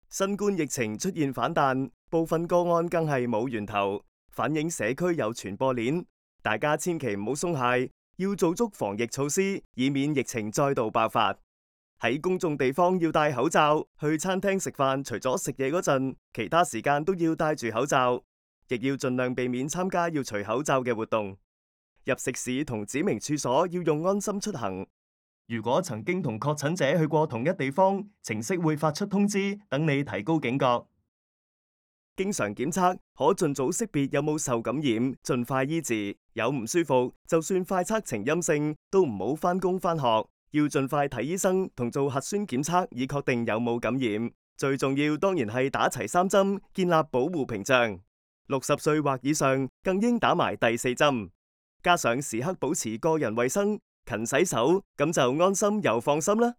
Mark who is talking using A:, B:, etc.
A: 新冠疫情出現反彈，部分個案更係冇源頭，反映社區有傳播鏈。大家千祈唔好鬆懈，要做足防疫措施，以免疫情再度爆發。喺公眾地方要戴口罩，去餐廳食飯除咗食嘢嗰陣，其他時間都要戴住口罩，亦要盡量避免參加要除口罩嘅活動。入食肆同指明處所要用安心出行。如果曾經同確診者去過同一地方，程式會發出通知，等你提高警覺。經常檢測，可盡早識別有冇受感染，盡快醫治。有唔舒服，就算快測呈陰性，都唔好返工返學，要盡快睇醫生同做核酸檢測，以確定有冇感染。最重要當然係打齊3針，建立保護屏障。60歲或以上更應打埋第4針，加上時刻保持個人衛生，勤洗手，咁就安心又放心啦。